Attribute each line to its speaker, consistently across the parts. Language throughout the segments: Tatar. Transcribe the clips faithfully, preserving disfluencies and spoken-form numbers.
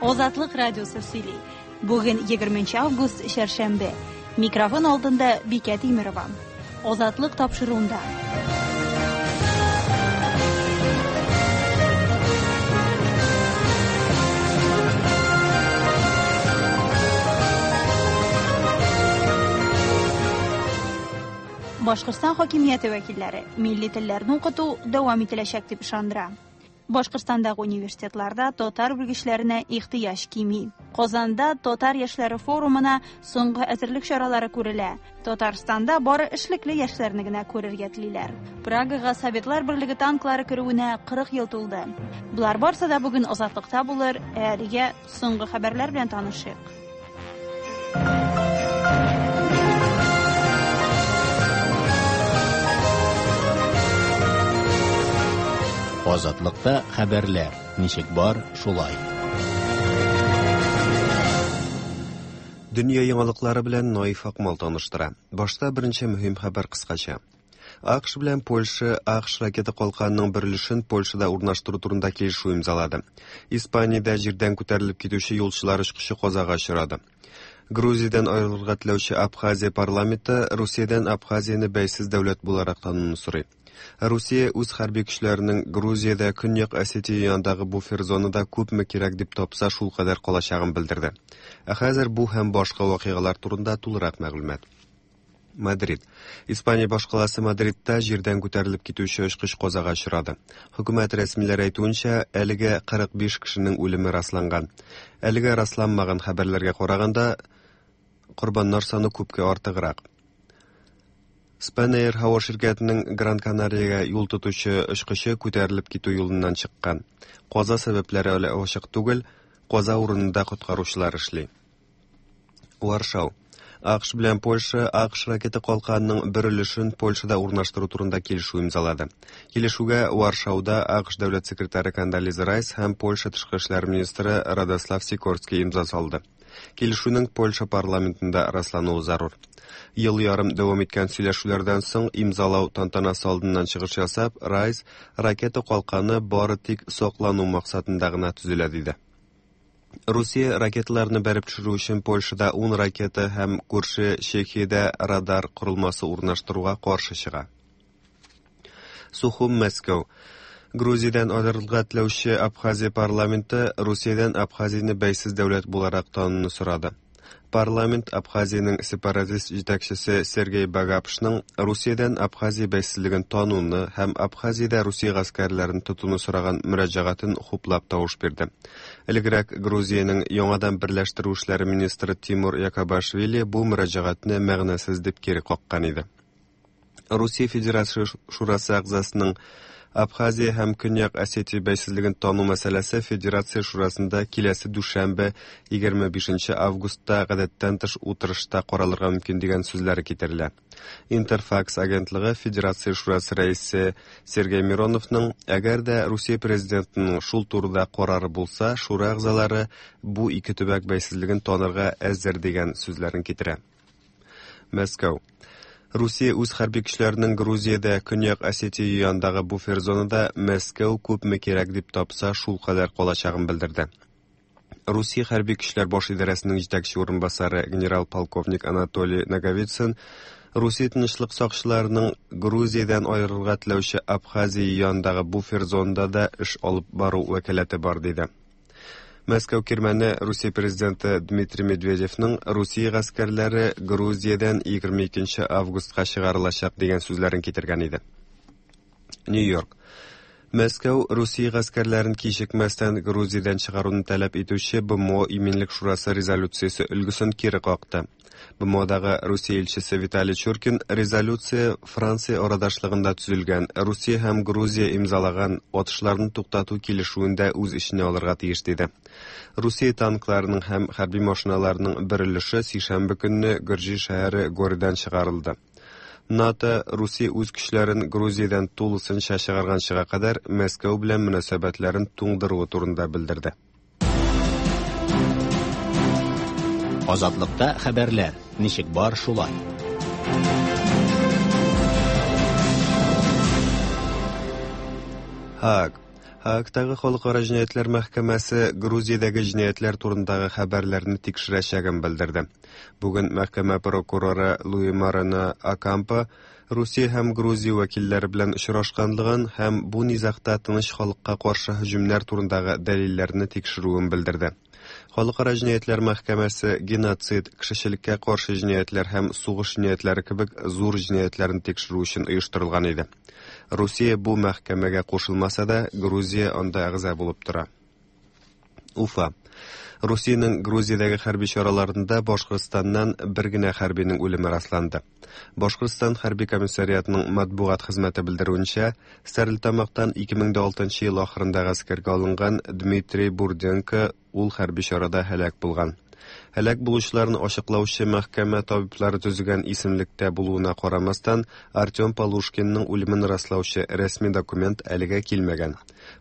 Speaker 1: Азатлык радиосы сөйли. Бүген егерменче август, шәршәмбе. Микрофон алдында Бикә Тимерова. Азатлык тапшыруында. Башкортстан хакимияте вәкилләре милли телләрне укыту дәвам ителәчәк дип ышандыра. Башкортстандагы университетларда татар белгечләренә ихтыяҗ кими. Казанда татар яшьләре форумына соңгы әзерлек чаралары күрелә. Татарстанда бары эшлекле яшьләрне генә күрергә телиләр. Прагага Советлар Берлеге танклары керүенә кырык ел тулды. Болар барсы да бүген Азатлыкта булыр. Ә әлегә соңгы хәбәрләр белән танышыйк.
Speaker 2: Азатлыкта хәбәрләр ничек бар, шулай.
Speaker 3: Дөнья яңалыклары белән Наиф Акмал таныштыра. Башта беренче мөһим хәбәр кыскача. АКШ белән Польша АКШ ракета калканының бер өлешен Польшада урнаштыру турында килешү имзалады. Испаниядә җирдән күтәрелеп китүче юлчылар очкычы казага очрады. Грузиядән аерылырга теләүче Абхазия парламенты Русиядән Абхазияне бәйсез дәүләт буларак тануны сорый. Русия үз хәрби көчләренең Грузиядә Көньяк Осетия янындагы буфер зонада күпме кирәк дип тапса, шул кадәр калачагын белдерде. Ә хәзер бу һәм башка вакыйгалар турында тулырак мәгълүмат. Мадрид. Испания башкаласы Мадридта җирдән күтәрелеп китүче очкыч казага очрады. Хөкүмәт рәсмиләре әйтүенчә, әлегә кырык биш кешенең үлеме расланган. Әлегә расланмаган хәбәрләргә караганда, корбаннар саны күпкә артыграк. Spanair һава ширкәтенең Гран Канариягә юл тотучы очкычы күтәрелеп китү юлыннан чыккан. Каза сәбәпләре әле ачык түгел, каза урынында коткаручылар эшли. Варшау. АКШ белән Польша АКШ ракета калканының бер өлешен Польшада урнаштыру турында килешү имзалады. Килешүгә Варшауда АКШ дәүләт секретаре Кондолиза Райс һәм Польша тышкы эшләр министры Радослав Сикорский имза салды. Килешүнең Польша парламентында раслануы зарур. Ел ярым дәвам иткән сөйләшүләрдән соң имзалау тантанасы алдыннан чыгыш ясап, Райс ракета калканы бары тик саклану максатында гына төзелә диде. Русия ракеталарны бәреп төшерү өчен Польшада ун ракета һәм күрше Чехиядә радар корылмасы урнаштыруга каршы чыга. Сухум, Мәскәү. Грузиядән аерылырга теләүче Абхазия парламенты Русиядән Абхазияне бәйсез дәүләт буларак тануны сорады. Парламент Абхазиянең сепаратист җитәкчесе Сергей Багапшның Русиядән Абхазия бәйсезлеген тануны һәм Абхазиядә Русия гаскәрләрен тотуны сораган мөрәҗәгатен хуплап тавыш бирде. Элегрәк Грузиянең яңадан берләштерү эшләре министры Тимур Якобашвили бу мөрәҗәгатьне мәгънәсез дип кире каккан иде. Русия Федерация Шурасы әгъзасының Абхазия һәм Көньяк Осетия бәйсезлеген тану мәсьәләсе Федерация Шурасында киләсе дүшәмбе егерме бишенче августта гадәттән тыш утырышта каралырга мөмкин дигән сүзләре китерелә. Интерфакс агентлыгы Федерация Шурасы рәисе Сергей Мироновның әгәр дә Русия президентының шул турыда карары булса, шура әгъзалары бу ике төбәк бәйсезлеген танырга әзер дигән сүзләрен китерә. Мәскәү. Русия үз хәрби көчләренең Грузиядә Көньяк Осетия янындагы буфер зонада Мәскәү күпме кирәк дип тапса, шул кадәр калачагын белдерде. Русия хәрби көчләр баш идарәсенең җитәкче урынбасары генерал-полковник Анатолий Наговицын Русия тынычлык сакчыларының Грузиядән аерылырга теләүче Абхазия янындагы буфер зонада да эш алып бару вәкаләте бар диде. Мәскәү кирмәне Русия президенты Дмитрий Медведевның Русия гаскәрләре Грузиядән егерме икенче августка чыгарылачак дигән сүзләрен китергән иде. Нью-Йорк. Мәскәү Русия гаскәрләрен кичекмәстән Грузиядән чыгаруны таләп итүче БМО Иминлек Шурасы резолюциясе өлгесен кире какты. БМОдагы Русия илчесе Виталий Чуркин резолюция Франция арадашлыгында төзелгән Русия һәм Грузия имзалаган атышларны туктату килешүен дә үз эченә алырга тиеш диде. Русия танкларының һәм хәрби машиналарының бер өлеше сишәмбе көнне Гөрҗи шәһәре Горидан чыгарылды. НАТО Русия үз көчләрен Грузиядән тулысынча чыгарганчыга кадәр Мәскәү белән мөнәсәбәтләрен туңдыруы турында белдерде.
Speaker 2: Азатлыкта хәбәрләр ничек бар, шулай.
Speaker 3: Һааг. Һаагтагы Халыкара җинаятьләр мәхкәмәсе Грузиядәге җинаятьләр турындагы хәбәрләрне тикшерәчәген белдерде. Бүген мәхкәмә прокуроры Луи Морено Окампо Русия һәм Грузия вәкилләре белән очрашканлыгын һәм бу низагта тыныч халыкка каршы һөҗүмнәр турындагы дәлилләрне тикшерүен белдерде. Халыкара җинаятьләр мәхкәмәсе геноцид, кешелеккә каршы җинаятьләр һәм сугыш җинаятьләре кебек зур җинаятьләрне тикшерү өчен оештырылган иде. Русия бу мәхкәмәгә кушылмаса да, Грузия анда әгъза булып тора. Уфа. Русиянең Грузиядәге хәрби чараларында Башкортстаннан бер генә хәрбинең үлеме расланды. Башкортстан хәрби комиссариатының матбугат хезмәте белдерүенчә, Стәрлетамактан ике мең дә алтынчы ел ахырында гаскәргә алынган Дмитрий Бурденко ул хәрби чарада һәлак булган. Һәлак булучыларны ачыклаучы мәхкәмә табиблары төзегән исемлектә булуына карамастан, Артем Полушкинның үлемен раслаучы рәсми документ әлегә килмәгән.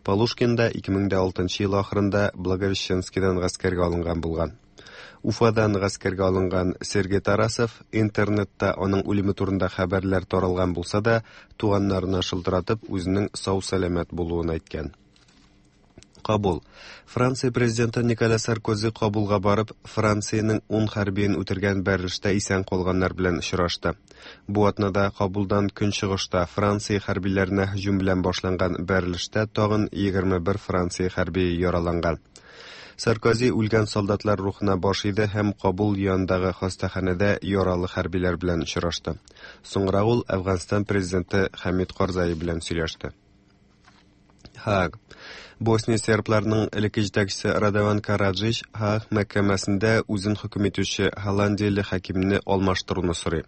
Speaker 3: Полушкин да ике мең дә алтынчы ел ахырында Благовещенскийдан гаскәргә алынган булган. Уфадан гаскәргә алынган Сергей Тарасов интернетта аның үлеме турында хәбәрләр таралган булса да, туганнарына шылтыратып үзенең сау-сәламәт булуын әйткән. Кабул. Франция президенты Николя Саркози Кабулга барып, Франциянең ун хәрбиен үтергән бәрелештә исән калганнар белән очрашты. Бу атнада Кабулдан көнчыгышта Франция хәрбиләренә һөҗүм белән башланган бәрелештә тагын егерме бер Франция хәрбие яраланган. Саркози үлгән солдатлар рухына баш иде һәм Кабул янындагы хастаханәдә яралы хәрбиләр белән очрашты. Соңрак ул Әфганстан президенты Хәмид Карзай белән сөйләште. Һааг. Босния сербларының элекке җитәкчесе Радован Караджич Һааг мәхкәмәсендә үзен хөкем итүче голландияле хакимне алмаштыруны сорый.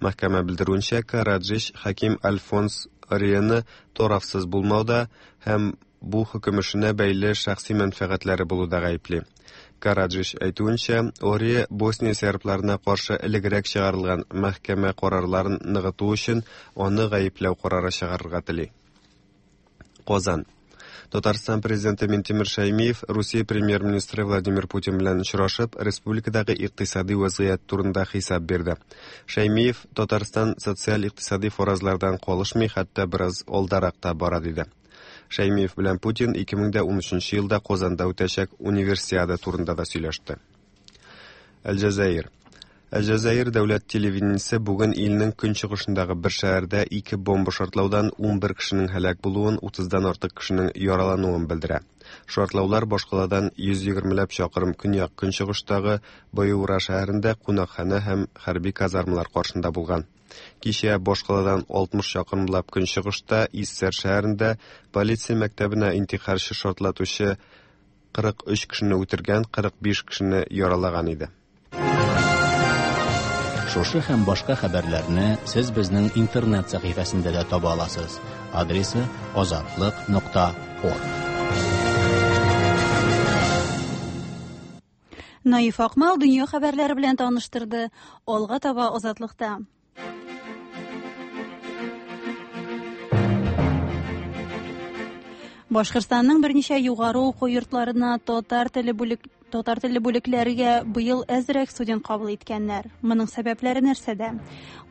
Speaker 3: Мәхкәмә белдерүенчә, Караджич хаким Альфонс Ориены тарафсыз булмауда һәм бу хөкем эшенә бәйле шәхси мәнфәгатьләре булуда гаепли. Караджич әйтүенчә, Орие Босния сербларына каршы элегрәк чыгарылган мәхкәмә карарларын ныгыту өчен аны гаепләү карары чыгарырга тели. Казан. Татарстан президенты Минтимер Шаймиев Русия премьер-министры Владимир Путин белән очрашып, республикадагы икътисади вазгыять турында хисап бирде. Шаймиев Татарстан социаль-икътисади фаразлардан калышмый, хәтта бераз алдарак та бара диде. Шаймиев белән Путин ике мең дә унөченче елда Казанда үтәчәк универсиада турында да сөйләште. Алҗазаир. Алҗазаир дәүләт телевидениесе бүген илнең көнчыгышындагы бер шәһәрдә ике бомба шартлаудан ун бер кешенең һәлак булуын, утыздан артык кешенең яралануын белдерә. Шартлаулар башкаладан йөз егермеләп чакрым көньяк көнчыгыштагы Баюра шәһәрендә кунакханә һәм хәрби казармалар каршында булган. Кичә башкаладан алтмыш чакрымлап көнчыгышта Иссер шәһәрендә полиция мәктәбенә интихарчы шартлатучы кырык өч кешене үтергән, кырык биш кешене яралаган иде.
Speaker 2: Шушы һәм башка хәбәрләрне сез безнең интернет сәхифәсендә дә таба аласыз. Адресы азатлык нокта орг.
Speaker 1: Наиф Акмал дөнья хәбәрләре белән таныштырды. Алга таба Азатлыкта. Башкортстанның берничә югары уку йортларына татар теле бүлек татар телле бүлекләргә быел әзрәк студент кабул иткәннәр. Моның сәбәпләре нәрсәдә?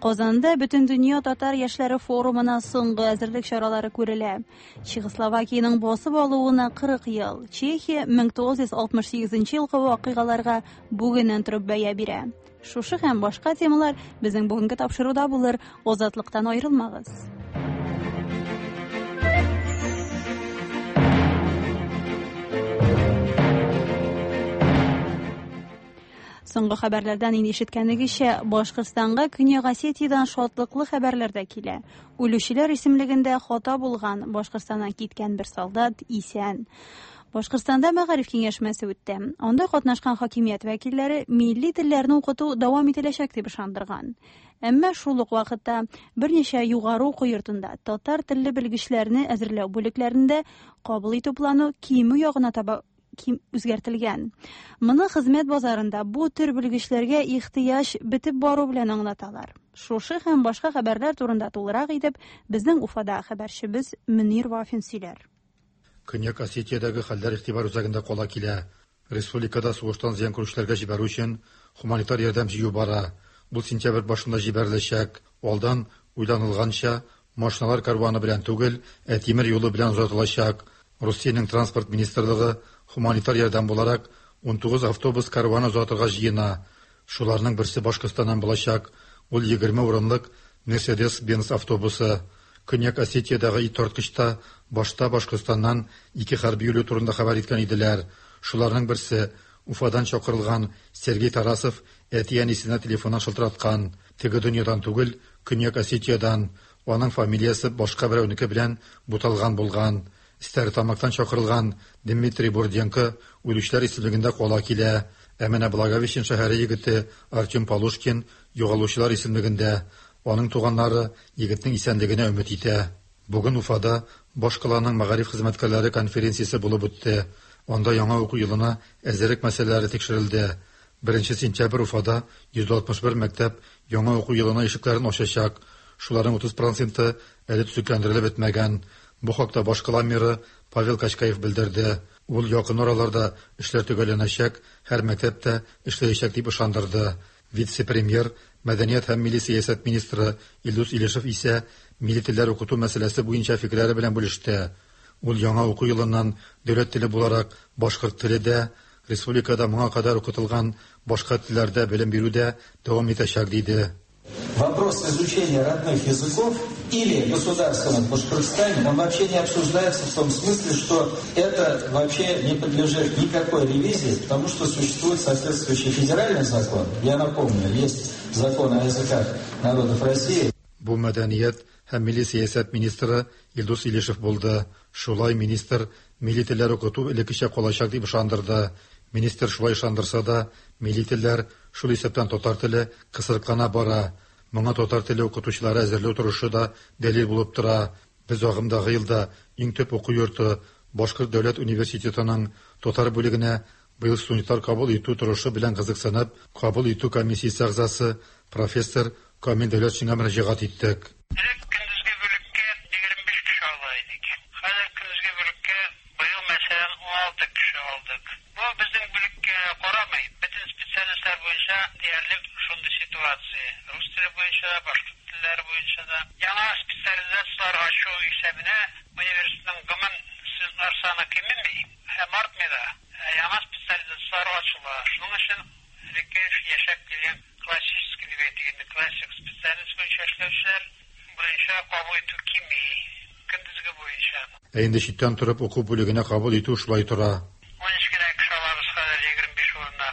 Speaker 1: Казанда Бөтендөнья татар яшьләре форумына соңгы әзерлек чаралары күрелә. Чехословакиянең басып алуына кырык ел. Чехия мең тугыз йөз алтмыш сигезенче елгы вакыйгаларга бүгеннән торып бәя бирә. Шушы һәм башка темалар безнең бүгенге тапшыруда булыр. Азатлыктан аерылмагыз. Соңгы хәбәрләрдән инде ишеткәнегезчә, Башкортстанга Көньяк Осетиядән шатлыклы хәбәрләр дә килә. Үлүчеләр исемлегендә хата булган Башкортстаннан киткән бер солдат исән. Башкортстанда мәгариф киңәшмәсе үтте. Анда катнашкан хакимият вәкилләре милли телләрне укыту дәвам ителәчәк дип ышандырган. Әмма шул ук вакытта берничә югары уку йортында татар телле белгечләрне әзерләү бүлекләрендә кабул итү планы кимү ягына таба үзгәртелгән. Моны хезмәт базарында бу төр белгечләргә ихтыяҗ бетеп бару белән аңлаталар. Шушы һәм башка хәбәрләр турында тулырак итеп безнең Уфада хәбәрчебез Мөнир Вафин сөйләр.
Speaker 4: Көньяк Осетиядәге хәлләр игътибар үзәгендә кала килә. Республикада сугыштан зыян күрүчеләргә җибәрү өчен гуманитар ярдәм җыю бара. Бу сентябрь башында җибәреләчәк. Алдан уйланылганча, машиналар карваны белән түгел, ә тимер юлы белән озатылачак. Русиянең транспорт министрлыгы хуманитар ярдәм буларак унтугыз автобус карваны озатырга җыена. Шуларның берсе Башкортстаннан булачак. Ул егерме урынлык Mercedes-Benz автобусы. Көньяк Осетиядагы ит тарткычта башта Башкортстаннан ике хәрби үлү турында хәбәр иткән иделәр. Шуларның берсе Уфадан чакырылган Сергей Тарасов әти-әнисенә телефоннан шылтыраткан. Теге дөньядан түгел, Көньяк Осетиядан. Аның фамилиясе башка берәүнеке белән буталган булган. Стәрлетамактан чакырылган Дмитрий Бурденко үлүчеләр исемлегендә кала килә. Ә менә Благовещен шәһәре егете Артем Полушкин югалучылар исемлегендә. Аның туганнары егетнең исәнлегенә өмет итә. Бүген Уфада башкаланың мәгариф хезмәткәрләре конференциясе булып үтте. Анда яңа уку елына әзерлек мәсьәләләре тикшерелде. Беренче сентябрь Уфада йөз алтмыш бер мәктәп яңа уку елына ишекләрен ачачак. Шуларның утыз проценты әле төзекләндерелеп бетмәгән. Бу хакта башкала мэры Павел Качкаев белдерде. Ул якын араларда эшләр төгәлләнәчәк, һәр мәктәптә эшләячәк дип ышандырды. Вице-премьер, мәдәният һәм милли сәясәт министры Илдус Илешев исә милли телләр укыту мәсьәләсе буенча фикерләре белән бүлеште. Ул яңа уку елыннан дәүләт теле буларак башкорт теле дә, республикада моңа кадәр укытылган башка телләрдә белем бирү дә дәвам итәчәк диде.
Speaker 5: Вопрос изучения родных языков или государственных в Башкортостане, он вообще не обсуждается в том смысле, что это вообще не подлежит никакой ревизии, потому что существует соответствующий федеральный закон. Я напомню, есть закон о языках народов России.
Speaker 4: Бу мәдәният һәм милли сәясәт министры Илдус Илешев булды. Шулай министр милли телләр укыту элеккечә калачак дип ышандырды. Министр шулай ышандырса да, милли телләр, шул исәптән татар теле, кысрыклана бара. Моңа татар теле укытучылары әзерләү торышы да дәлил булып тора. Без агымдагы елда иң төп уку йорты Башкорт дәүләт университетының татар бүлегенә быел студентлар кабул итү торышы белән кызыксынып, кабул итү комиссиясе әгъзасы профессор Камил Дәүләтшинга мөрәҗәгать иттек.
Speaker 6: Элек көндезге бүлеккә егерме биш кеше ала идек. Хәзер көндезге бүлеккә быел мәсәлән уналты кеше алдык. Бу безнең бүлеккә карамый, бөтен специалистлар буенча диярлек шундый ситуация. Рус теле буенча да, башкорт телләре буенча да. Яңа специализацияләр ачу исәбенә университетның гомум студентлар саны кимеми һәм артмый да. Яңа специализацияләр ачыла. Шуның өчен элекке яшәп килгән классический дип әйтик инде, классик специалист буенча эшләүчеләр буенча кабул итү кими, көндезге буенча.
Speaker 4: Ә инде читтән торып уку бүлегенә кабул итү шулай тора.
Speaker 6: Унөч кенә кеше алабыз хәзер егерме биш урынына.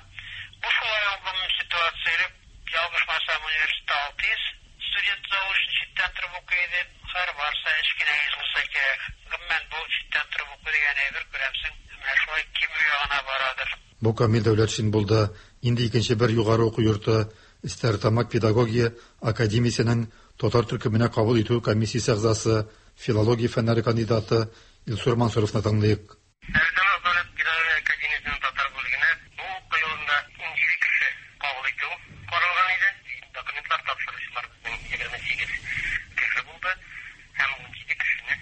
Speaker 6: Бу шулай ук гомум ситуация. Элек, ялгышмасам, университетта алты йөз студент заочно читтән торып укый иде. Хәзер барса өч кенә йөз булса кирәк. Гомумән бу читтән торып уку дигән әйбер, күрәмсең, менә шулай кимү ягына барадыр.
Speaker 4: Бу Камил Дәүләтшин булды. Инде икенче бер югары уку йорты Стәрлетамак педагогия академиясенең татар төркеменә кабул итү комиссиясе әгъзасы, филология фәннәре кандидаты Илсур Мансуровны тыңлыйк.
Speaker 6: Стәрлетамак дәүләт педагогия академиясенең татар бүлегенә бу уку елында унҗиде кеше кабул итү каралган иде. Документлар тапшыручылар безнең егерме сигез кеше булды һәм унҗиде кешене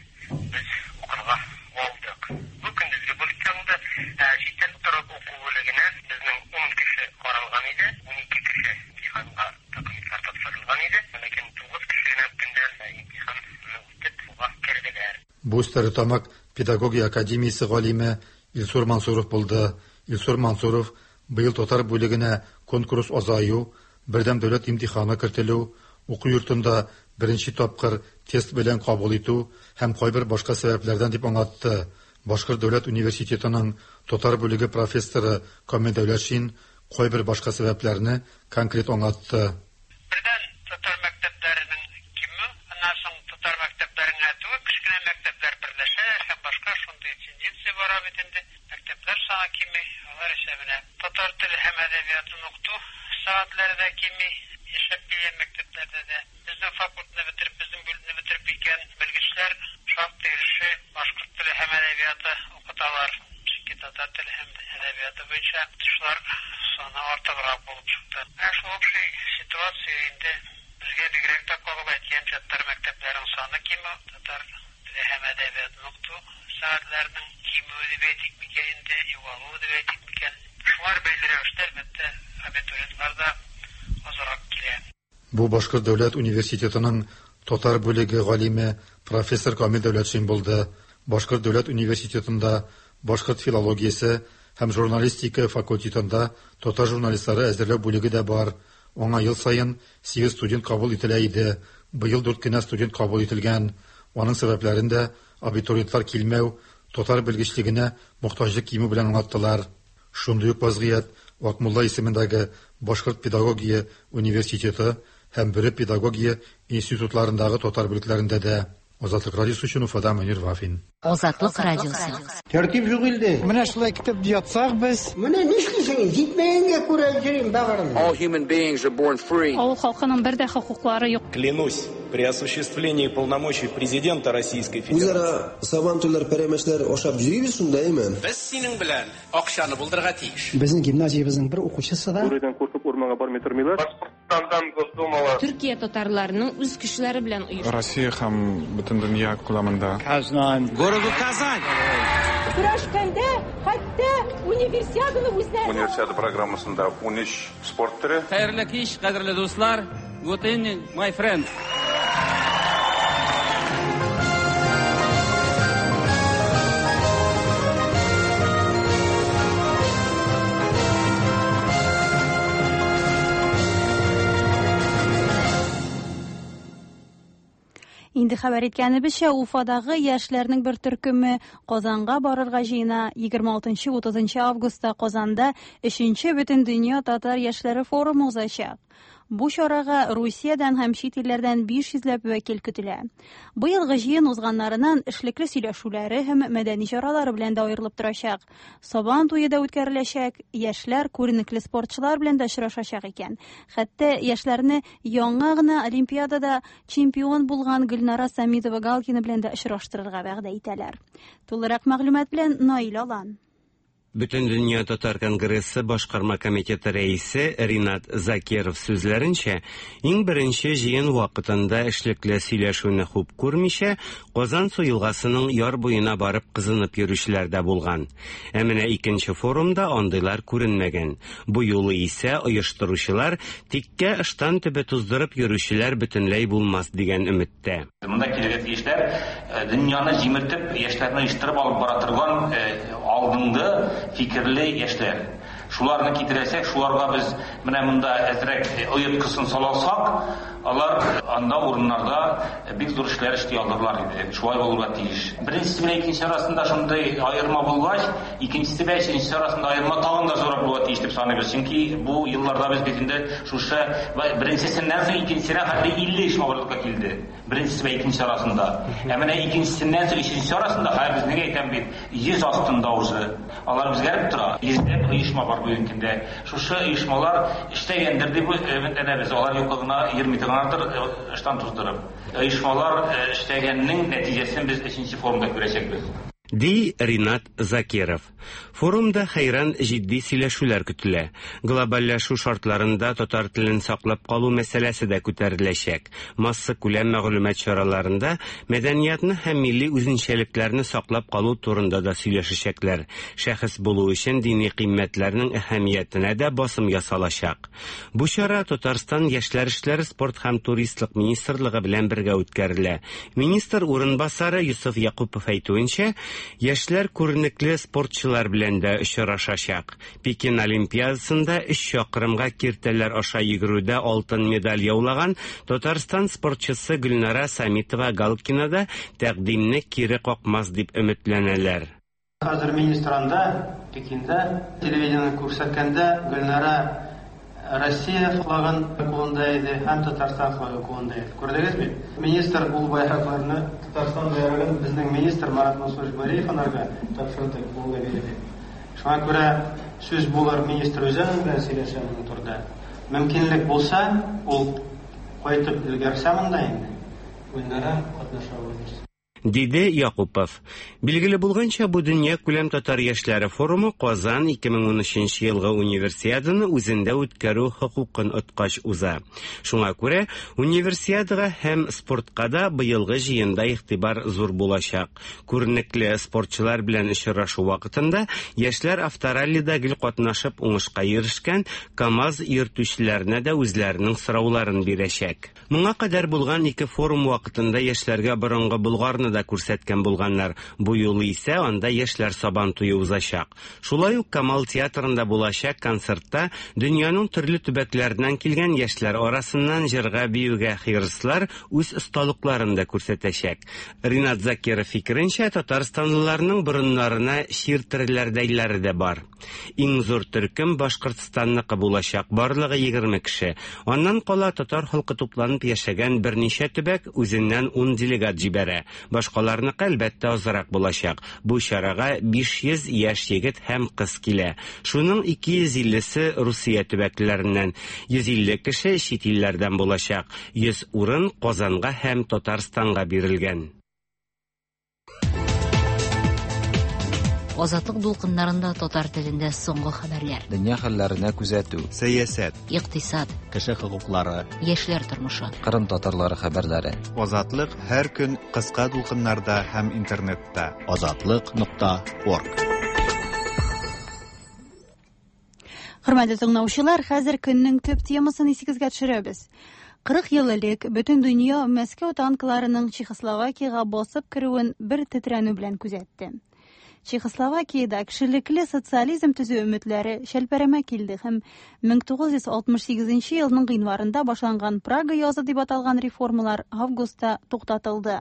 Speaker 6: без укырга алдык. Бу көндезге бүлеккә булды. Ә читтән торып уку бүлегенә безнең ун кеше каралган иде, унике кеше имтиханга документлар тапшырылган иде. Ләкин тугыз кеше генә көндә имтиханны үтеп уга керделәр.
Speaker 4: Бу Стәрлетамак педагогия академиясе галиме Илсур Мансуров булды. Илсур Мансуров быел татар бүлегенә конкурс азаю, бердәм дәүләт имтиханы кертелү, уку йортында беренче тапкыр тест белән кабул итү һәм кайбер башка сәбәпләрдән дип аңлатты. Башкорт дәүләт университетының татар бүлеге профессоры Камил Дәүләтшин кайбер башка сәбәпләрне конкрет аңлатты.
Speaker 6: Бердән татар мәктәпләренең кимү, аннан соң татар мәктәпләренә түгел, кечкенә мәктәпләр берләшә һәм башка шундый тенденция бара бит инде. Мәктәпләр саны кими, алар исәбенә татар теле һәм әдәбиятын укыту сәгатьләре дә кими, яшәп килгән мәктәпләрдә дә. Безнең факультетны бетереп, безнең бүлекне бетереп киткән белгечләр шактый өлеше башкорт теле һәм әдәбияты укыталар. Чөнки татар теле һәм әдәбияты буенча укытучылар саны артыграк булып чыкты. Ә шул общий ситуация инде безгә бигрәк тә кагыла. Әйткән татар мәктәпләренең саны кимү, татар теле һәм әдәбиятын укыту сәгатьләренең кимүе дип әйтик микән инде, югалуы дип әйтик микән. Шулар бәйле рәвештә, әлбәттә, абитуриентлар да азрак килә.
Speaker 4: Бу Башкорт дәүләт университетының татар бүлеге галиме профессор Камил Дәүләтшин булды. Башкорт дәүләт университетында башкорт филологиясе һәм журналистика факультетында татар журналистлары әзерләү бүлеге дә бар. Аңа ел саен сигез студент кабул ителә иде. Быел дүрт кенә студент кабул ителгән. Аның сәбәпләрен дә абитуриентлар килмәү, татар белгечлегенә мохтаҗлык кимү белән аңлаттылар. Шундый ук вазгыять Акмулла исемендәге Башкорт педагогия университеты һәм Бөре педагогия институтларындагы татар бүлекләрендә дә. Азатлык радиосы өчен Уфадан Мөнир Вафин.
Speaker 7: Азатлык радиосы.
Speaker 8: Тәртип юк илде.
Speaker 9: Менә шулай китеп ятсак без.
Speaker 8: Менә нишлисең? Җитмәгәнгә күрә йөрим бәгырем.
Speaker 10: All human beings are born free.
Speaker 1: Авыл халкының бер дә хокуклары юк.
Speaker 11: Клянусь при осуществлении полномочий президента Российской Федерации.
Speaker 12: Үзара сабантуйлар, пәрәмәчләр ашап йөрибез шунда, әйме?
Speaker 13: Без синең белән акчаны булдырырга тиеш.
Speaker 14: Безнең гимназиябезнең бер укучысы да
Speaker 15: Бүредән куркып урманга бармый тормыйлар.
Speaker 16: Башкортстандан Госдумага.
Speaker 17: Төркия татарларының үз көчләре белән оештырган.
Speaker 18: Россия һәм бөтен дөнья күләмендә.
Speaker 19: Казан.
Speaker 13: Городу Казань.
Speaker 20: Көрәшкәндә хәтта универсиаданы үзләре.
Speaker 21: Универсиада программасында ун өч спорт төре.
Speaker 22: Хәерле кич, кадерле дуслар. Good evening, my friends.
Speaker 1: Инде хәбәр иткәнебезчә, Уфадагы яшьләрнең бер төркеме Казанга барырга җыена. егерме алтынчы утызынчы августта Казанда өченче Бөтендөнья татар яшьләре форумы узачак. Бу чарага Русиядән һәм чит илләрдән биш йөзләп вәкил көтелә. Быелгы җыен узганнарыннан эшлекле сөйләшүләре һәм мәдәни чаралары белән дә аерылып торачак. Сабан туе да үткәреләчәк, яшьләр күренекле спортчылар белән дә очрашачак икән. Хәтта яшьләрне яңа гына Олимпиадада чемпион булган Гөлнара Самитова-Галкина белән дә очраштырырга вәгъдә итәләр. Тулырак мәгълүмат белән Наил Алан.
Speaker 23: Бөтендөнья татар конгрессы башкарма комитеты рәисе Ринат Закиров сүзләренчә, иң беренче җыен вакытында эшлекле сөйләшүне хуп күрмичә, Казансу елгасының яр буена барып кызынып йөрүчеләр дә булган. Ә менә икенче форумда андыйлар күренмәгән. Бу юлы исә оештыручылар тиккә ыштан төбе туздырып йөрүчеләр бөтенләй булмас дигән өметтә.
Speaker 24: Монда килергә тиешләр дөньяны җимертеп, яшьләрне оештырып алып бара торган алдынгы фикерле яшьләр. Шуларны китерәсәк, шуларга без менә монда әзрәк оеткысын салалсак, алар анда урыннарда бик зур эшләр эшли алырлар иде. Шулай булырга тиеш. Беренчесе белән икенче арасында шундый аерма булгач, икенчесе белән өченчесе арасында аерма тагын да зуррак булырга тиеш дип саныйбыз. Чөнки бу елларда без бит инде шушы беренчесеннән соң икенчесенә хәтле илле эш барлыкка килде. Беренчесе белән икенче арасында. Ә менә икенчесеннән соң өченчесе арасында хәзер безнең әйтәм бит йөз астында уже. Алар үзгәреп тора. Йөзләп оешма бар бүгенге көндә. Шушы оешмалар эшләгәндер дип өметләнәбез. Алар юкка гына йөрми торганнардыр, ыштан туздырып. Оешмалар эшләгәннең нәтиҗәсен без өченче форумда күрәчәкбез.
Speaker 23: Ди Ринат Закиров. Форумда хәйран җитди сөйләшүләр көтелә. Глобальләшү шартларында татар телен саклап калу мәсьәләсе дә күтәреләчәк. Масса күләм мәгълүмат чараларында мәдәниятны һәм милли үзенчәлекләрне саклап калу турында да сөйләшәчәкләр. Шәхес булу өчен дини кыйммәтләрнең әһәмиятенә дә басым ясалачак. Бу чара Татарстан яшьләр эшләре, спорт һәм туристлык министрлыгы белән бергә үткәрелә. Министр урынбасары Юсуф Якупов әйтүенчә, яшьләр күренекле спортчылар белән дә очрашачак. Пекин Олимпиадасында өч чакрымга киртәләр аша йөгерүдә алтын медаль яулаган Татарстан спортчысы Гөлнара Самитова-Галкина да тәкъдимне кире какмас дип өметләнәләр.
Speaker 25: Хәзер министр анда Пекинда телевидение күрсәткәндә Гөлнара Россия флагын кулында иде һәм Татарстан флагы кулында иде. Күрдегезме? Министр ул байракларны, Татарстан байрагын безнең министр Марат Мансурович Бариев анарга тапшырды, кулына бирде. Шуңа күрә сүз булыр, министр үзе белән сөйләшә моның турында. Мөмкинлек булса, ул кайтып өлгерсә монда инде, Гөлнара катнаша алыр.
Speaker 23: Диде Якупов. Билгеле булганча, бу дөнья күләм татар яшьләре форумы Казан ике мең унөченче елгы универсиаданы үзендә үткәрү хокукын откач уза. Шуңа күрә универсиадага һәм спортка да быелгы җыенда игътибар зур булачак. Күренекле спортчылар белән очрашу вакытында яшьләр автораллида гел катнашып уңышка ирешкән КАМАЗ йөртүчеләренә дә үзләренең сорауларын бирәчәк. Моңа кадәр булган ике форум вакытында яшьләргә борынгы Болгарны Сабантуйларны да күрсәткән булганнар. Бу юлы исә анда яшьләр Сабантуе узачак. Шулай ук Камал театрында булачак концертта дөньяның төрле төбәкләреннән килгән яшьләр арасыннан җырга, биюгә хирыслар үз осталыкларын да күрсәтәчәк. Ринат Закиров фикеренчә, татарстанлыларның борыннарына чиртереләрдәйләре дә бар. Иң зур төркем Башкортстанныкы булачак, барлыгы егерме кеше. Аннан кала татар халкы тупланып яшәгән берничә төбәк үзеннән ун делегат җибәрә. Башкаларныкы әлбәттә азрак булачак. Бу чарага биш йөз яшь егет һәм кыз килә. Шуның ике йөз иллесе Русия төбәкләреннән, йөз илле кеше чит илләрдән булачак. Йөз урын Казанга һәм Татарстанга бирелгән.
Speaker 2: Азатлык дулкыннарында татар телендә соңгы хәбәрләр.
Speaker 3: Дөнья хәлләренә күзәтү, сәясәт,
Speaker 2: икътисад,
Speaker 3: кеше хокуклары,
Speaker 2: яшьләр тормышы,
Speaker 3: Кырым татарлары хәбәрләре.
Speaker 18: Азатлык һәр көн кыска дулкыннарда һәм интернетта.
Speaker 3: Азатлык нокта орг.
Speaker 1: Хөрмәтле тыңлаучылар, хәзер көннең төп темасын исегезгә төшерәбез. Кырык ел элек бөтен дөнья Мәскәү танкларының Чехословакиягә басып керүен бер тетрәнү белән күзәтте. Чехословакиядә кешелекле социализм төзү өметләре шәлпәрәмә килде һәм мең тугыз йөз алтмыш сигезенче елның гыйнварында башланган Прага язы дип аталган реформалар августта туктатылды.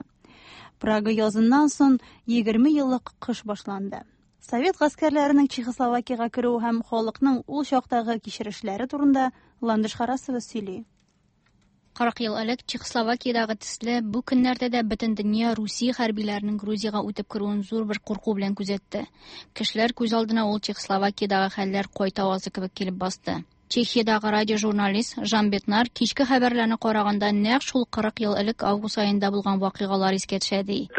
Speaker 1: Прага языннан соң егерме еллык кыш башланды. Совет гаскәрләренең Чехословакиягә керүе һәм халыкның ул чактагы кичерешләре турында Ландыш Харасова сөйли.
Speaker 7: Кырык ел элек Чехословакиядагы төсле бу көннәрдә дә бөтен дөнья Русия хәрбиләренең Грузиягә үтеп керүен зур бер курку белән күзәтте. Кешеләр күз алдына ул Чехословакиядагы хәлләр кайта авазы кебек килеп басты. Чехиядагы радиожурналист Жан Бетнар кичке хәбәрләрне караганда нәкъ шул кырык ел элек август аенда булган вакыйгалар искә төшә ди.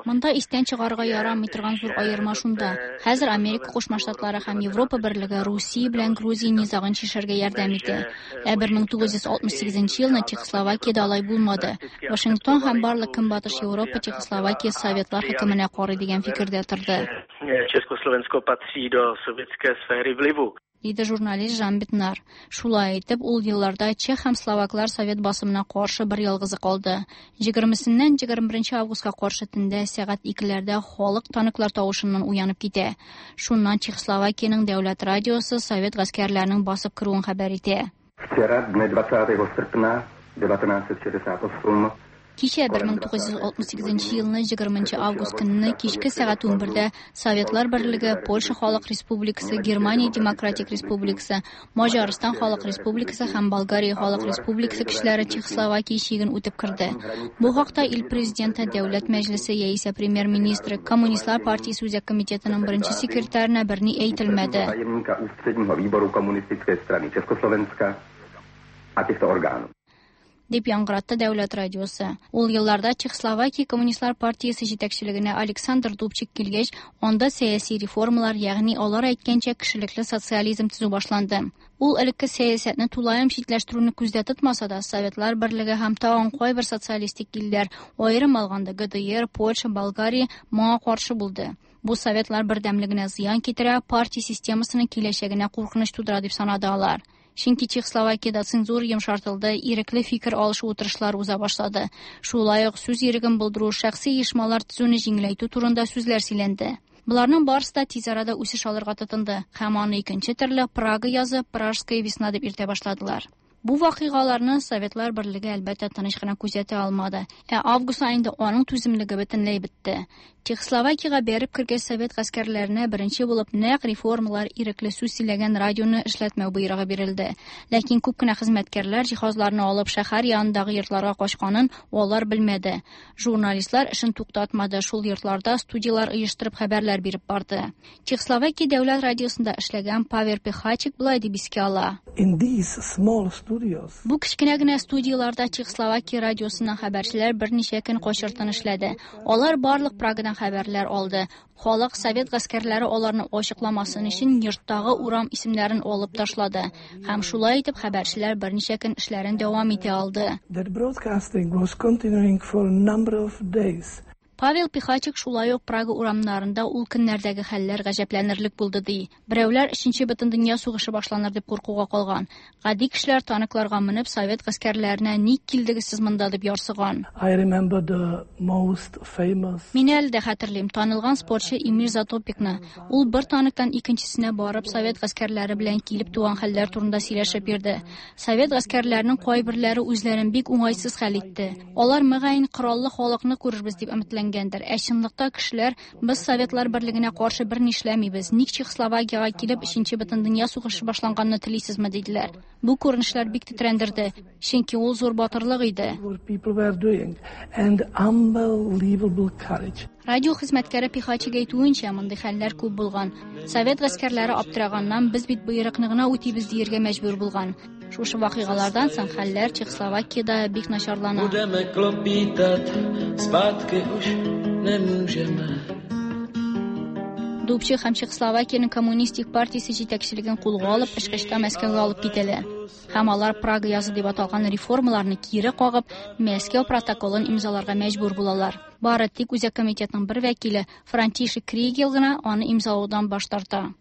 Speaker 7: Монда истән чыгарырга ярамый торган зур аерма шунда. Хәзер Америка Кушма Штатлары һәм Европа берлеге Русия белән Грузия низагын чишәргә ярдәм итә. Ә бер мең тугыз йөз алтмыш сигезенче елны Чехословакиядә алай булмады. Вашингтон һәм барлык Көнбатыш Европа Чехословакия Советлар хөкеменә карый дигән фикердә торды.
Speaker 16: Československo patří do sovětské sféry vlivu.
Speaker 7: Диде журналист Жан Бетнар. Шулай итеп, ул елларда чех һәм словаклар совет басымына каршы бер ялгызы калды. Егермесеннән егерме беренче августка каршы төндә сәгать икеләрдә халык танклар тавышыннан уянып китә. Шуннан Чехословакиянең дәүләт радиосы совет гаскәрләренең басып керүен хәбәр итә.
Speaker 15: Вчера, дне двадцатого серпня девятнадцать шестьдесят восемь,
Speaker 7: Кичә бер мең тугыз йөз алтмыш сигезенче елны егерменче август көнне кичке сәгать унбердә Советлар Берлеге, Польша Халык Республикасы, Германия Демократик Республикасы, Маҗарстан Халык Республикасы һәм Болгария Халык Республикасы кешеләре Чехословакия чиген үтеп керде. Бу хакта ил президенты, Дәүләт Мәҗлесе яисә премьер-министры, Коммунистлар партиясе үзәк комитетының беренче секретарына берни әйтелмәде.
Speaker 15: Tajemníka ústředního výboru Komunistické strany Československa a těchto orgánů.
Speaker 7: Дип яңгыратты дәүләт радиосы. Ул елларда Чехословакия Коммунистлар партиясе җитәкчелегенә Александр Дубчик килгәч, анда сәяси реформалар, ягъни алар әйткәнчә кешелекле социализм төзү башланды. Ул элекке сәясәтне тулаем читләштерүне күздә тотмаса да, Советлар Берлеге һәм тагын кайбер социалистик илләр, аерым алганда Г Д Р, Польша, Болгария моңа каршы булды. Бу Советлар бердәмлегенә зыян китерә, партия системасының киләчәгенә куркыныч тудыра дип санады алар. Чөнки Чехословакиядә цензура йомшартылды, ирекле фикер алышу утырышлары уза башлады. Шулай ук сүз иреген булдыру, шәхси оешмалар төзүне җиңеләйтү турында сүзләр сөйләнде. Боларның барысы да тиз арада үсеш алырга тотынды һәм аны икенче төрле Прага язы, Пражская весна дип йөртә башладылар. Бу вакыйгаларны Советлар Берлеге әлбәттә тыныч кына күзәтә алмады. Ә август аенда аның түземлеге бөтенләй бетте. Чехословакиягә бәреп кергән совет гаскәрләренә беренче булып нәкъ реформалар ирекле сүз сөйләгән радионы эшләтмәү боерыгы бирелде. Ләкин күп кенә хезмәткәрләр җиһазларны алып шәһәр янындагы йортларга качканын алар белмәде. Журналистлар эшен туктатмады, шул йортларда студиялар оештырып хәбәрләр биреп барды. Чехословакия дәүләт радиосында эшләгән Павел Пехачик болай дип искә ала.
Speaker 19: In these small studios.
Speaker 7: Бу кечкенә генә студияларда Чехословакия радиосыннан хәбәрчеләр берничә көн качыртын эшләде. Алар барлык Прагадан хәбәрләр алды. Халык совет гаскәрләре аларны ачыкламасын өчен йорттагы урам исемнәрен алып ташлады. Һәм шулай итеп хәбәрчеләр берничә көн эшләрен дәвам итә алды.
Speaker 19: That broadcasting was continuing for a number of days.
Speaker 7: Павел Пихачик шулай ук Прага урамнарында ул көннәрдәге хәлләр гаҗәпләнерлек булды ди. Берәүләр Өченче бөтендөнья сугышы башланыр дип куркуга калган. Гади кешеләр танкларга менеп совет гаскәрләренә ник килдегез сез монда дип ярсыган.
Speaker 19: I remember the most famous.
Speaker 7: Мин әле дә хәтерлим, танылган спортчы Эмир Затопикны. Ул бер танктан икенчесенә барып совет гаскәрләре белән килеп туган хәлләр турында сөйләшеп йөрде. Совет гаскәрләренең кайберләре үзләрен бик уңайсыз хәл итте. Алар мөгаен кораллы халыкны күрербез дип өметләнгән. Ә чынлыкта кешеләр без Советлар берлегенә каршы бер нишләмибез. Ник Чехословакиягә килеп Өченче бөтендөнья сугышы башланганны телисезме диделәр. Бу күренешләр бик тетрәндерде, чөнки ул зур батырлык иде. Радио хезмәткәре Пихачик әйтүенчә, мондый хәлләр күп булган. Совет гаскәрләре аптыраганнан без бит боерыкны гына үтибез дияргә мәҗбүр булган. Шушы вакыйгалардан соң хәлләр Чехословакиядә бик начарлана. Дубчик һәм Чехословакиянең коммунистик партиясе җитәкчелеген кулга алып, ышкычта Мәскәүгә алып китәләр. Һәм алар Прага язы дип аталган реформаларны кире кагып, Мәскәү протоколын имзаларга мәҗбүр булалар. Бары тик Үзәк комитетның бер вәкиле Франтишек Кригел гына аны имзалаудан баш тарта.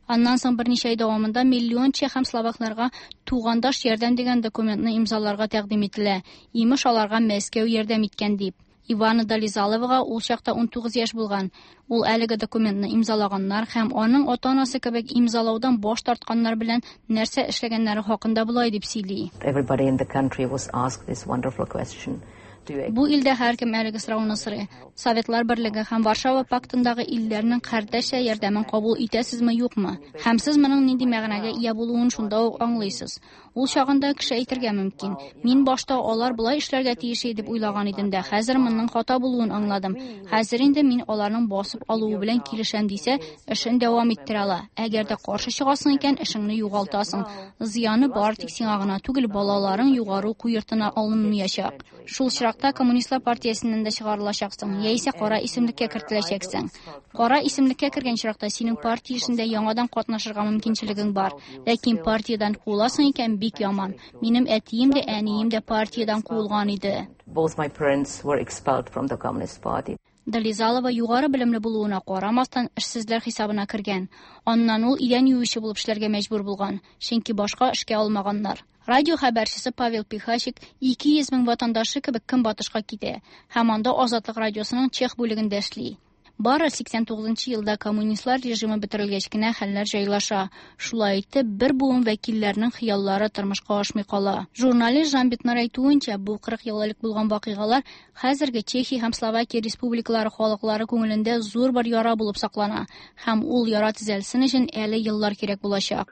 Speaker 7: Аннан соң берничә ай дәвамында миллион чех һәм словакларга тугандаш ярдәм дигән документны имзаларга тәкъдим ителә. Имеш, аларга Мәскәү ярдәм иткән дип. Ивана Долизаловага ул чакта ун тугыз яшь булган. Ул әлеге документны имзалаганнар һәм аның ата-анасы кебек имзалаудан баш тартканнар белән нәрсә эшләгәннәре хакында болай дип сөйли.
Speaker 4: Everybody in the country was asked this wonderful question.
Speaker 7: Бу илдә һәркем әлеге сорауны сорый. Советлар берлеге һәм Варшава пактындагы илләрнең кардәшчә ярдәмен кабул итәсезме, юкмы? Һәм сез моның нинди мәгънәгә ия булуын шунда ук аңлыйсыз. Ул чагында кеше әйтергә мөмкин: "Мин башта алар болай эшләргә тиеш дип уйлаган идем дә, хәзер моның хата булуын аңладым. Хәзер инде мин аларның басып алуы белән килешәм" дисә, эшен дәвам иттерә ала. Әгәр дә каршы чыгасың икән, эшеңне югалтасың. Зыяны бар тик сиңа гына түгел, балаларың югары уку йортына алынмаячак. Шул очракта Коммунистлар партиясеннән дә чыгарылачаксың, яисә кара исемлеккә кертеләчәксең. Кара исемлеккә кергән очракта синең партия эшендә яңадан катнашырга мөмкинчелегең бар. Ләкин партиядән куыласың икән, бик яман. Минем әтием дә, әнием дә партиядән куылган иде.
Speaker 4: Both my parents were expelled from the Communist Party.
Speaker 7: Долизалова югары белемле булуына карамастан эшсезләр хисабына кергән. Аннан ул идән юучы булып эшләргә мәҗбүр булган, чөнки башка эшкә алмаганнар. Радио хәбәрчесе Павел Пихачик ике йөз мең ватандашы кебек көнбатышка китә һәм анда Азатлык радиосының чех бүлегендә эшли. Бары сиксән тугызынчы елда коммунистлар режимы бетерелгәч кенә хәлләр җайлаша. Шулай итеп, бер буын вәкилләренең хыяллары тормышка ашмый кала. Журналист Жан Бетнар әйтүенчә, бу кырык ел элек булган вакыйгалар хәзерге Чехия һәм Словакия республикалары халыклары күңелендә зур бер яра булып саклана һәм ул яра төзәлсен өчен әле еллар кирәк булачак.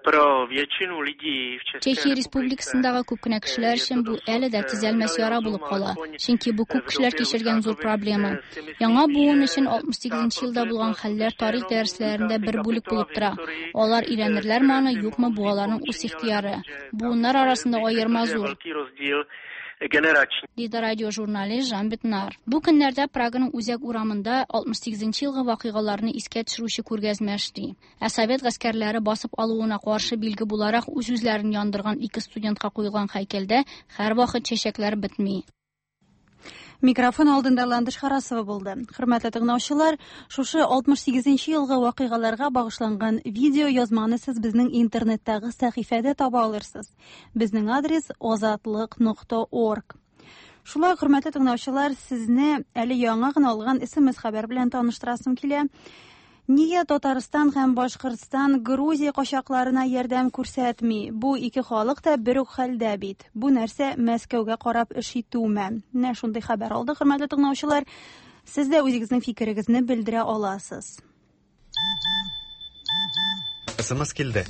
Speaker 7: Чехия республикасындагы күп кенә кешеләр өчен бу әле дә төзәлмәс яра булып кала, чөнки бу күп кешеләр кичергән зур проблема. Яңа буын өчен алтмыш сигезенче елда булган хәлләр тарих дәресләрендә бер бүлек булып тора. Алар өйрәнерләрме аны, юкмы, бу аларның үз ихтыяры. Буыннар арасында аерма зур, диде радиожурналист Жан Бетнар. Бу көннәрдә Праганың үзәк урамында алтмыш сигезенче елгы вакыйгаларны искә төшерүче күргәзмә эшли. Ә совет гаскәрләре басып алуына каршы билге буларак үз-үзләрен яндырган ике студентка куелган һәйкәлдә һәрвакыт чәчәкләр бетми.
Speaker 1: Микрофон алдында Ландыш Харасова булды. Хөрмәтле тыңлаучылар, шушы алтмыш сигезенче елгы вакыйгаларга багышланган видео язманы сез безнең интернеттагы сәхифәдә таба алырсыз. Безнең адрес озатлык нокта орг. Шулай, хөрмәтле тыңлаучылар, сезне әле яңа гына алган эс эм эс хәбәр белән таныштырасым килә. Нигә Татарстан һәм Башкортстан Грузия качакларына ярдәм күрсәтми? Бу ике халык та бер үк хәлдә бит. Бу нәрсә Мәскәүгә карап эш итүме? Менә шундый хәбәр алдык, хөрмәтле тыңлаучылар. Сез дә үзегезнең фикерегезне белдерә аласыз.
Speaker 18: эс эм эс килде.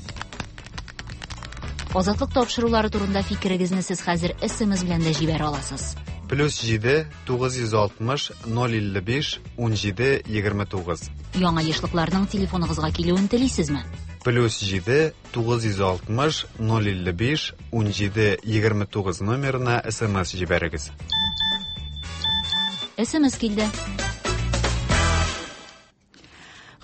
Speaker 2: Азатлык тапшырулары турында фикерегезне сез хәзер эс эм эс белән дә җибәрә аласыз.
Speaker 18: Плюс җиде тугыз йөз алтмыш ноль илле биш ун җиде егерме тугыз.
Speaker 2: Яңа ешлыкларның телефоныгызга килүен телисезме?
Speaker 18: Плюс җиде тугыз йөз алтмыш ноль илле биш ун җиде егерме тугыз номерына эс эм эс җибәрегез.
Speaker 2: эс эм эс килде.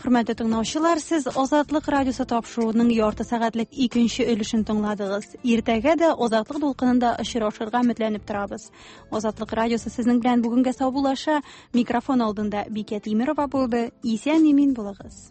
Speaker 1: Хөрмәтле тыңлаучылар, сез Азатлык радиосы тапшыруының ярты сәгатьлек икенче өлешен тыңладыгыз. Иртәгә дә Азатлык дулкынында очрашырга өметләнеп торабыз. Азатлык радиосы сезнең белән бүгенгә саубуллаша. Микрофон алдында Бикә Тимирова булды. Исән-имин булыгыз.